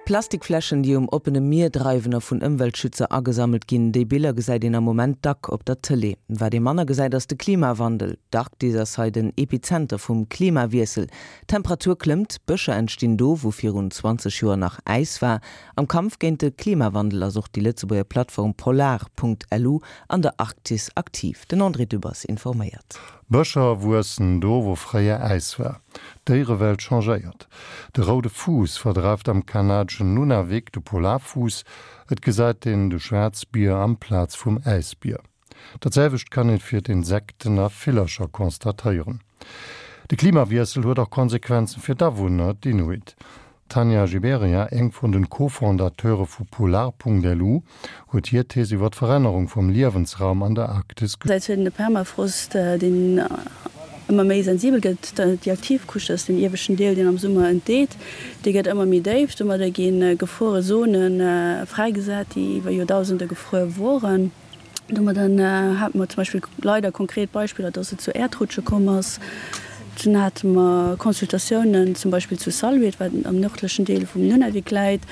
Plastikfläschen, déi um oppene Mier dreiwen a vun Ëmweltschützer agesammelt ginn, déi Biller gesäit een am Moment dack op der Tëlee. Wat ee manner gesäit, ass de Klimawandel. D'Arktis ass hei den Epizenter vum Klimawiessel. D'Temperatur klëmmt, Bëscher entstinn do, wou virun 20 Joer nach Äis war. Am Kampf géint de Klimawandel ass och déi Lëtzebuerger Plattform Polar.lu an der Arktis aktiv. Den André Dübbers informéiert. Bëscher wuessen do, wou fréier Äis war. D'Déierewelt changéiert. De roude Fuuss verdreift am kanadeschen Nunavik de Polarfuuss. Et gesäit een de Schwaarzbier amplaz vum Äisbier. Dat selwecht kann een fir d'Insekten a Villercher constatéieren. De Klimawiessel huet och Konsequenzen fir d'Awunner, d'Inuit. D'Tanja Giberia, eng vun den Co-Fondateure vu Polar.lu, huet hir Thees iwwer d'Verännerung vum Liewensraum an der Arktis. Säit huet een de Permafrost, deen ëmmer méi sensibel gëtt. Déi aktiv Couche, dat ass deen ieweschten Deel, deen am Summer entdeet, dee gëtt ëmmer méi déif. Domadder gi gefruere Zone fräigesat, déi iwwer Joerdausende gefruer woren. Domadder hate mer zum Beispill leider konkret Beispiller, dass et zu Äerdrutsche komm ass. Dunn hate mer Consultatiounen zum Beispill zu Salluit, wat am nërdlechen Deel vum Nunavik läit,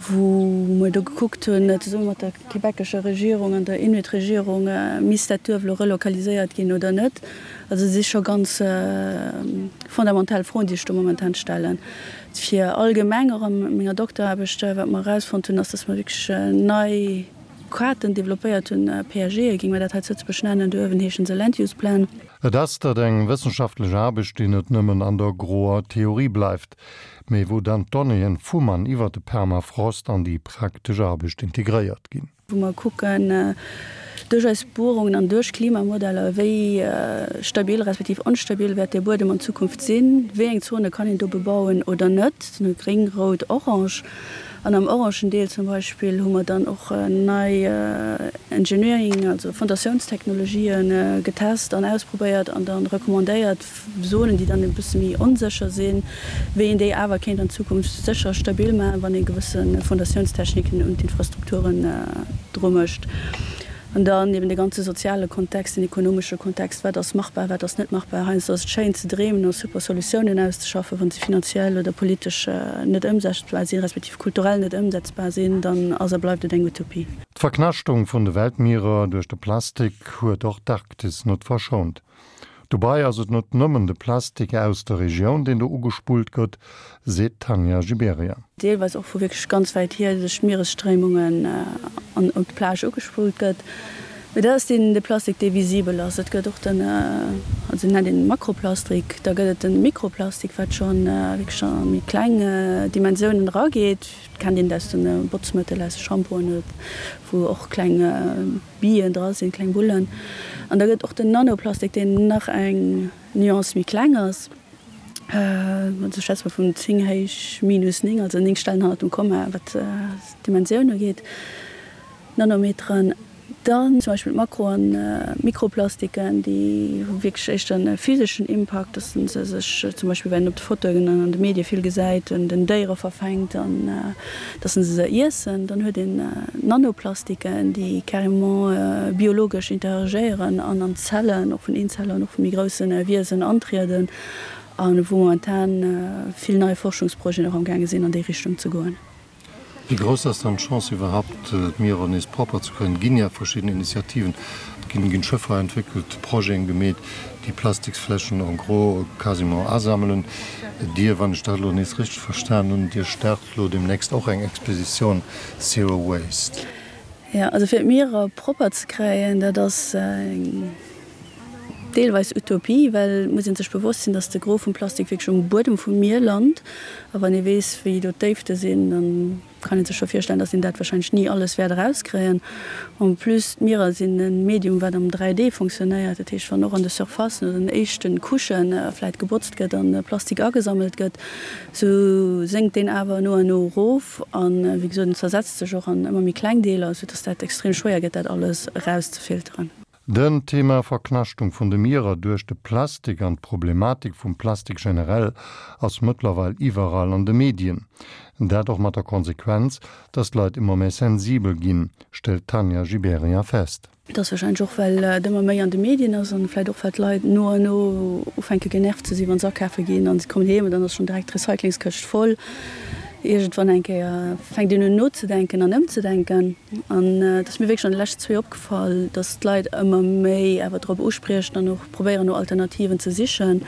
wou mer do gekuckt hunn, zesumme mat der québecescher Regierung an der Inuit-Regierung, misst dat Duerf elo relokaliséiert ginn oder net. Also et si scho ganz fondamental Froen, déi sech do momentan stellen. Fir allgemeng och a menger Dokteraarbecht, wat mer erausfonnt hunn, ass, dass mer wierklech nei, Kaarten developpéiert hunn, PAGe géing mer dat hei zu Lëtzebuerg nennen, do uewen heeschen se Land Use Plan. Et ass dat eng wëssenschaftlech Aarbecht, déi net nëmmen an der groer Theorie bleift, mee wou dann d'Donnéeën vum an iwwer de Permafrost an déi praktesch Aarbecht integréiert ginn. Wou mer kucken, duerch eis Buerungen an duerch Klimamodeller, wéi stabil respektiv onstabil wäert dee Buedem an Zukunft sinn, wéi eng Zone kann een do bebauen oder net, gréng, rout, orange. An am orangen Deel zum Beispill hu mer dann och nei Engineering, also Fondatiounstechnologien getest an ausprobéiert an dann recommandéiert, Zonen, déi dann e bësse méi onsécher sinn, wéi een déi awer kéint an Zukunft sécher stabil maachen, wann ee gewësse Fondatiounstechniken un d'Infrastrukturen dru mécht. An dann eben de ganze soziale Kontext, den ekonomesche Kontext, wat ass machbar, wat ass net machbar. Heiansdo ass et schéin ze dreemen a super Solutiounen auszeschaffen, wa se finanziell oder politesch net ëmsetzbar sinn, respektiv kulturell net ëmsetzbar sinn, dann ass a bleift et eng Utopie. D'Verknaschtung vun de Weltmierer duerch de Plastik huet och d'Arktis net verschount. Dobei ass et net nëmmen de Plastik aus der Regioun, deen do ugespullt gëtt, seet d'Tanja Giberia. Deelweis och vu wierklech ganz wäit hier duerch d'Mieresstréimungen an op d'Plage ugespullt gëtt. Mee dat ass deen de Plastik, dee visibel ass. Et gëtt och den, also nennt een Makroplastik, da gëtt et de Mikroplastik, wat scho wierklech a méi kleng Dimensiounen erageet. Kennt een aus de Botzmëttel, aus de Shampoen, wou och kleng Billen dra sinn, kleng Bullen. An da gëtt och den Nanoplastik, deen nach eng Nuance méi kleng ass, also ech schwätze mol vun 10 héich minus 9, also 9 Stellen hannert dem Komma, wat d'Dimensioun ugeet, Nanometeren. Dann zum Beispill d'Makro an Mikroplastiken, déi hu wierklech éischter e physeschen Impakt, dass se sech zum Beispill, wat een op de Fotoen an an de Medie vill gesäit, un den Déiere verfänkt an dass se se iessen. Dann huet een Nanoplastiken, déi carrément biologesch interagéieren an an d'Zellen, och vun Eenzeller an och vu méi grousse Wiesen antrieden a wou momentan vill nei Forschungsprojeten och amgaange sinn an déi Richtung ze goen. Wéi grouss ass dann d'Chance iwwerhaupt, d'Mierer nees propper ze kréien? Et ginn ja verschidden Initiativen, et ginn Schëffer entwéckelt, Projeten gemeet, déi Plastiksfläschen en gros quasiment asammelen. Dir, wann ech dat elo nees richteg verstan hunn, Dir start elo deemnächst och eng Expositioun Zero Waste. Jo, also fir d'Mierer propper ze kréien, dat ass eng deelweis Utopie, well et muss ee sech bewosst sinn, datt de Gros vum Plastik wierklech um Buedem vum Mier lant. A wann ee weess, wéi do d'Déifte sinn, da kann ee sech scho virstellen, datt een dat warscheinlech ni alles wäert erauskréien. En plus, d'Mierer sinn e Medium, wat am 3D fonctionnéiert. Dat heescht, wann och an de Surfacen oder den éischte Couchë vläit gebotzt gëtt an Plastik agesammelt gëtt, sou sénkt deen awer no an no erof. An, wéi gesot, en zersetzt sech och an ëmmer méi kleng Deeler, soudatt dat extrem schwéier gëtt, dat alles erauszefilteren. Den Thema Verknaschtung vun de Mierer duerch de Plastik an d'Problematik vum Plastik generell ass mëttlerweil iwwerall an de Medien. Dat och mat der Konsequenz, dass d'Leit ëmmer méi sensibel ginn, stellt d'Tanja Gibéryen fest. Et ass warscheinlech och, well et ëmmer méi an de Medien ass an vläit och, well d'Leit no an no ufänke genervt ze sinn, wa se akafe ginn an se kommen heem an dann ass schonn direkt d'Recyclingskëscht voll. Iergendwann eng Kéier fänkt een un nozedenken an ëmzedenken. An et ass mir wierklech an de leschten zwee opgefall, dass d'Leit ëmmer méi awer drop uspriechen an och probéieren no Alternativen ze sichen.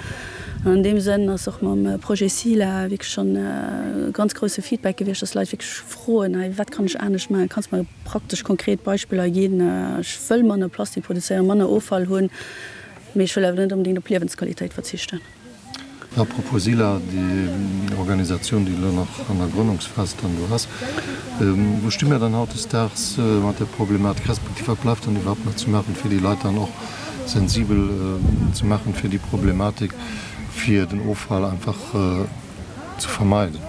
An an deem Sënn ass och mam Projet SILA wierklech schonn e ganz grousse Feedback gewiescht, dass Leit wierklech froen, hei wat kann ech anescht maachen, kanns mer praktesch konkret Beispiller ginn, ech wëll manner Plastik produzéieren, manner Offall hunn, mee ech wëll awer net onbedéngt op Liewensqualitéit verzichten. A propos SILA, déi Organisatioun, déi elo nach an der Grënnungsphas dann do ass, wou sti mir dann hautdesdaags mat där Problematik, respektiv wat bleift dann iwwerhaupt nach ze maachen, fir déi Leit dann och sensibel ze maachen fir déi Problematik, fir den Offall einfach ze vermeiden?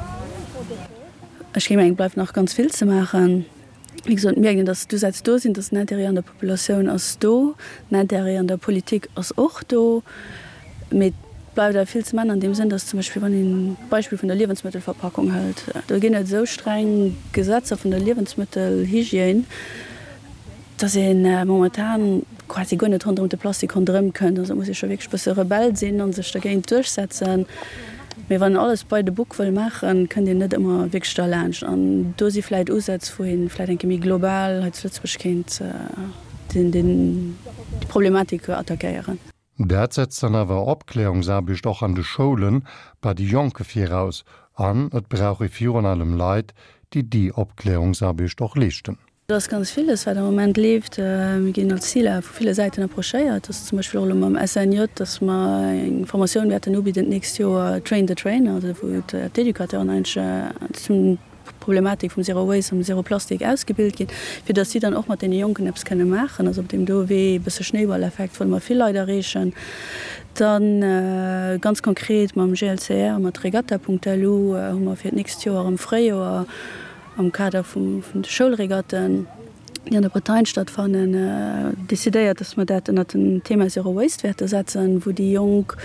Ech géing mengen, et bleift nach ganz vill ze maachen. Wéi gesot, et mierkt een, datt d'Usätz do sinn, datt den Intérêt an der Populatioun ass do, den Intérêt an der Politik ass och do, mee et bleift awer vill ze man an deem Sënn, datt zum Beispill, wann een d'Beispill vun der Liewensmëttelverpackung hëlt, do ginn et esou streng Gesetzer vun der Liewensmëttelhygiène, dass ee momentan quasi guer net ronderëm de Plastik ronderëm kënnt. Also et muss ee scho wierklech e bësse Rebell sinn a sech dergéint duerchsetzen. Mee wann een alles by the book wëll maachen, kënnt een net ëmmer wierklech derlaanscht. An do si vläicht Usätz, wou ee vläicht eng Kéier méi global hei zu Lëtzebuerg kéint déi Problematik attackéieren. Dat setzt dann awer Opklärungsaarbecht och an de Schoulen bei de Jonke viraus an et brauch ee virun allem Leit, déi déi Opklärungsaarbecht och leeschten. Et ass ganz villes, wat am Moment leeft. Mir ginn als CILA vu ville Säiten approchéiert. Et ass zum Beispill och elo mam SNJ, dass mer eng Formatioun wäerten ubidden d'nächst Joer, Train the Trainer, also wou d'Educateuren eigentlech zum Problematik vum Zero Waste an Zero Plastik ausgebilt ginn, fir datt si dann och mat deene Jonken eppes kënne maachen. Also op deem do Wee, e bësse Schnéiballeffekt, wëlle mer vill Leit erreechen. Dann ganz konkret mam GLCR, mat Regatta.lu hu mer fir d'nächst Joer am Fréijoer am Kader vun de Schoulregatten, déi an der Bretagne stattfannen, decidéiert, dass mer dat ënnert den Thema Zero Waste wäerte setzen, wou déi Jonk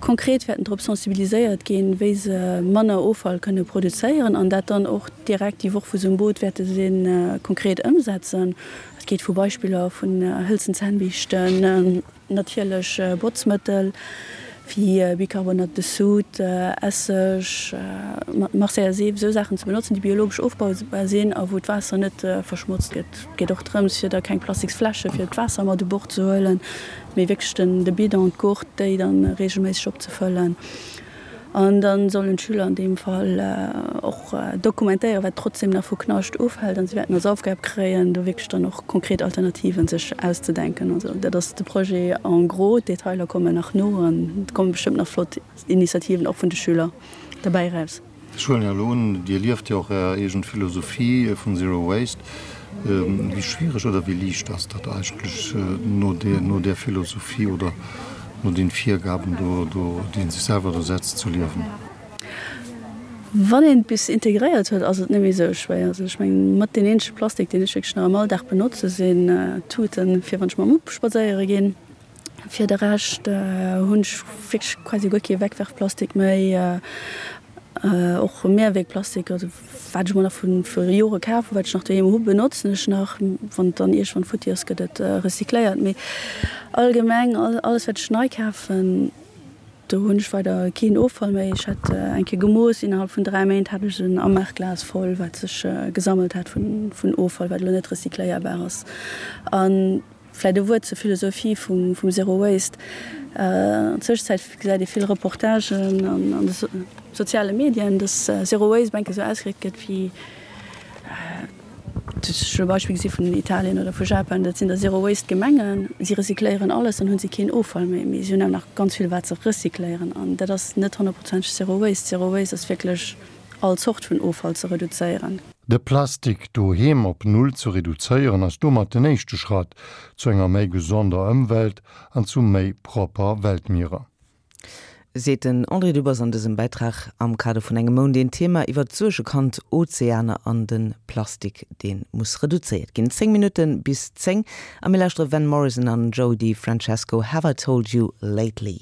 konkret wäerten drop sensibiliséiert ginn, wéi se manner Offall kënne produzéieren an dat dann och direkt déi Woch, wou se um Boot wäerte sinn, konkret ëmsetzen. Et geet vu Beispiller vun hëlzen Zännbiischten, Natierlech Botzmëttel wéi Bicarbonate de Soude, Esseg, Marseiller Seef, esou Saachen ze benotzen, déi biologesch ofbaubar sinn a wou d'Waasser net verschmotzt gëtt. Et geet och drëms, fir da keng plastiks Fläsche fir d'Waasser mat u Bord ze huelen, mee wierklech de Bidon, d'Gourde, déi dann reegelméisseg opzefëllen. An da sollen d'Schüler an deem Fall och dokumentéieren, wat trotzdem nach vu Knascht ufält. An si wäerten als Aufgab kréien, do wierklech dann och konkret Alternativen sech auszedenken. Also dat ass de Projet en gros. D'Detailer kommen nach no an et komme bestëmmt nach flott Initiativen och vun de Schüler derbäi eraus. Ech huelen jo elo un, Dir lieft jo och Är eegen Philosophie vun Zero Waste. Wéi schwiereg oder wéi liicht ass dat eigentlech no där Philosophie oder no den Virgaben do, déi een sech selwer do setzt, ze liewen? Wann een et bis integréiert huet, ass et net méi esou schwéier. Also ech mengen, mat deen eenzege Plastik, deen ech wierklech nach am Alldag benotze sinn Tuten, fir wann ech mam Mupp spadséiere ginn. Fir de Rescht hunn ech wierklech quasi guer kee Wegwerfplastik méi, och Mehrwegplastik, also wat ech mol nach vu viru Jore kaf hu, wat ech nach doheem hu benotzen ech nach. Wann et dann iergendwann futti ass, gëtt et recycléiert. Mee allgemeng alles wat ech nei kafen, do hunn ech weider keen Offall méi. Ech hat eng Kéier gemooss, innerhalb vun 3 Méint hat ech en Amarglas voll, wat sech gesammelt hat vun Offall, wat elo net recycléierbar ass. An Vläit e Wuert zur Philosophie vum Zero Waste. An Zwëschenzäit gesäit ee vill Reportagen an de soziale Medien, dass Zero Waste enke sou ausgedréckt gëtt wéi, ech hunn e Beispill gesi vun Italien oder vu Japan, dat sinn da Zero Waste Gemengen, si recycléieren alles, dann hu si keen Offall méi, mee si hunn awer nach ganz vill wat se recycléieren an dat ass net honnertprozenteg Zero Waste. Zero Waste ass wierklech all Zort vun Offall ze reduzéieren. De Plastik doheem op Null ze reduzéieren ass domat den éischte Schratt zu enger méi gesonder Ëmwelt an zu méi propper Weltmierer. Seet den André Dübbers an dësem Bäitrag am Kader vun engem Mount een Thema iwwert d'Suergekand Ozeaner an de Plastik dee muss reduzéiert ginn. 10 Minutte bis 10 a mir lauschtere Van Morrison an Joey DeFrancesco, Have I Told You Lately.